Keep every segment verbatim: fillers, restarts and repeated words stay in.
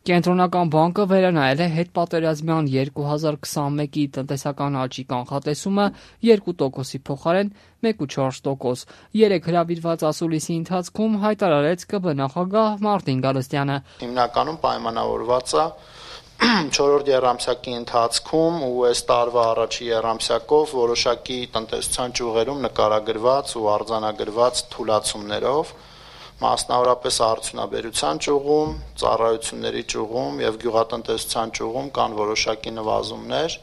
Կենտրոնական բանկը վերանայել է հետպատերազմյան երկու հազար քսանմեկի տնտեսական աճի կանխատեսումը երկու տոկոսի փոխարեն մեկ կoma չորս տոկոս։ Երեկ հրավիրված ասուլիսի ընթացքում հայտարարեց ԿԲ նախագահ Մարտին Գալստյանը։ Հիմնականում պայմանավորված է չորրորդ եռամսյակի ընթացքում ու այս տարվա առաջի եռամսյակով որոշակի տնտեսության ճյուղերում նկարագրված ու արձանագրված թուլացումներով, մասնավորապես արդյունաբերության ճյուղում, ծառայությունների ճյուղում եւ գյուղատնտեսության ճյուղում կան որոշակի նվազումներ,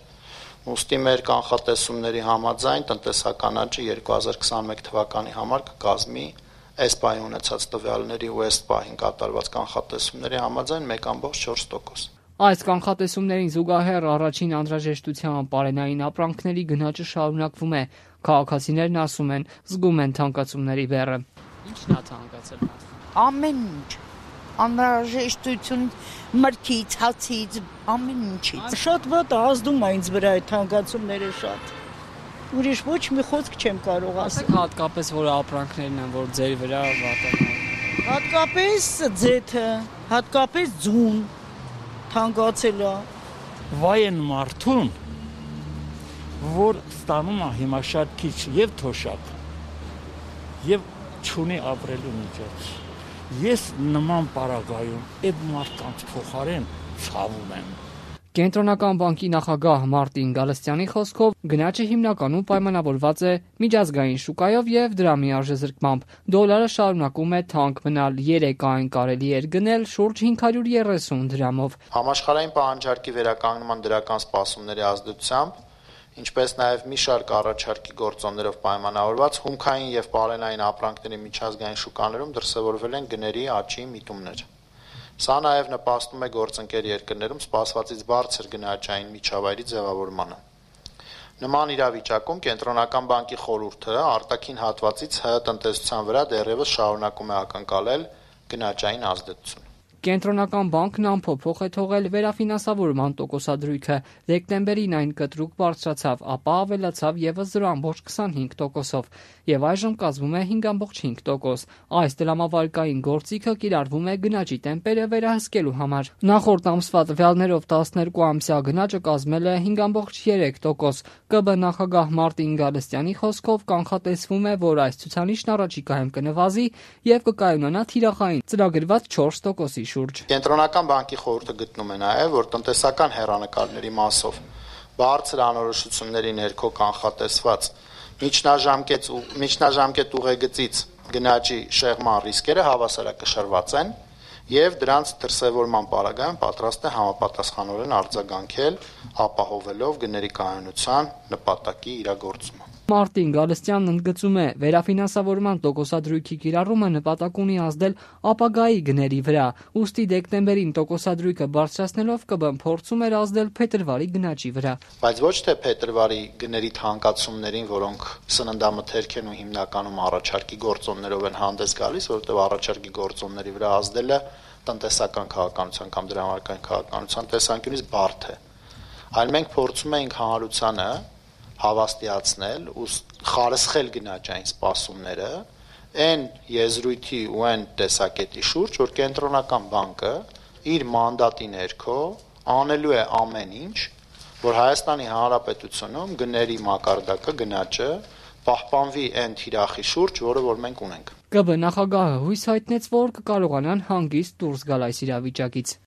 ուստի մեր կանխատեսումների համաձայն տնտեսական աճը երկու հազար քսանմեկ թվականի համար կկազմի այս պահի ունեցած տվյալների ու այս պահին կատարված կանխատեսումների համաձայն մեկ կoma չորս տոկոս։ Այս կանխատեսումներին զուգահեռ առաջին անհրաժեշտության պարենային ապրանքների գնաճը շարունակվում է։ Քաղաքացիներն ասում են, զգում են թանկացումների բեռը։ Ինչն է թանկացել։ Ամեն ինչ, անհրաժեշտություն մրգից, հացից, ամեն ինչից։ Շատ վատ է, ազդում է ինձ վրա այդ թանկացումները շատ։ Ուրիշ ոչ մի խոսք չեմ կարող ասել։ Հատկապես որ ապրանքներն են, որ ձեր վրա վատանա։ Հատկապես ձեթը, հատկապես ձուն թանկացել է։ Վայ են մարդուն, որ ստանում է հիմա շատ քիչ եւ թոշակ, եւ չունի ապրելու միջոց։ Ես նման պարագայում այդ մարդկանց փոխարեն ցավում եմ։ Կենտրոնական բանկի նախագահ Մարտին Գալստյանի խոսքով գնաճը հիմնականում պայմանավորված է միջազգային շուկայով եւ դրամի արժեզրկմամբ։ Դոլարը շարունակում է թանկ մնալ, երեկ այն կարելի էր գնել շուրջ հինգ հարյուր երեսուն դրամով։ Համաշխարհային պահանջարկի վերականգնման դրական սպասումների ազդեցությամբ, ինչպես նաև մի շարք առաջարկի գործոններով պայմանավորված հումքային եւ պարենային ապրանքների միջազգային շուկաներում դրսևորվել են գների աճի միտումներ։ Սա նաև նպաստում է գործընկեր երկրներում սպասվածից բարձր գնաճային միջավայրի ձևավորմանը։ Նման իրավիճակում Կենտրոնական բանկի խորհուրդը արտաքին հատվածից ՀՀ տնտեսության վրա դեռևս շարունակում է ակնկալել գնաճային ազդեցություն։ Կենտրոնական բանկն անփոփոխ է թողել վերաֆինանսավորման տոկոսադրույքը։ Դեկտեմբերին այն կտրուկ բարձրացավ, ապա ավելացավ եւս զրո կoma քսանհինգ տոկոսով եւ այժմ կազմում է հինգ կoma չինգ տոկոս։ Այս դրամավարկային գործիքը կիրառվում է գնաճի տեմպերը վերահսկելու համար։ Նախորդ ամսվա տվյալներով տասներկու ամսյա գնաճը կազմել է հինգ կoma երեք տոկոս։ ԿԲ նախագահ Մարտին Գալստյանի խոսքով կանխատեսվում է, որ այս ցուցանիշն առաջիկայում կնվազի եւ կկայունանա թիրախային ծրագրված չորս տոկոսի շուրջ։ Կենտրոնական բանկի խորհուրդը գտնում է նաև, որ տնտեսական հեռանկարների մասով բարձր անորոշությունների ներքո կանխատեսված միջնաժամկետ ու միջնաժամկետ ուղեգծից գնաճի շեղման ռիսկերը հավասարակշռված են եւ դրանց դրսեւորման պարագայում պատրաստ է համապատասխանորեն արձագանքել, ապահովելով գների կայունության նպատակի իրագործումը։ Մարտին Գալստյանն ընդգծում է, վերաֆինանսավորման տոկոսադրույքի կիրառումը նպատակ ունի ազդել ապագայի գների վրա, ուստի դեկտեմբերին տոկոսադրույքը բարձրացնելով ԿԲ-ն փորձում էր ազդել փետրվարի գնաճի վրա։ Բայց ոչ թե փետրվարի գների թանկացումներին, որոնք սննդամթերք են ու հիմնականում առաջարկի գործոններով են հանդես գալիս, որովհետև առաջարկի գործոնների վրա ազդելը տնտեսական քաղաքականության կամ դրամարկային քաղաքականության տեսանկյունից բարդ է։ Այլ մենք փորձում ենք հանրությանը հավաստիացնել ու խարսխել գնաճային սպասումները այն եզրույթի ու այն տեսակետի շուրջ, որ Կենտրոնական բանկը իր մանդատի ներքո անելու է ամեն ինչ, որ Հայաստանի Հանրապետությունում գների մակարդակը, գնաճը պահպանվի այն թիրախի շուրջ, որը որ մենք ունենք։ ԿԲ նախագահը հույս հայտնեց, որ կկարողանան հանգիստ դուրս գալ այս իրավիճակից։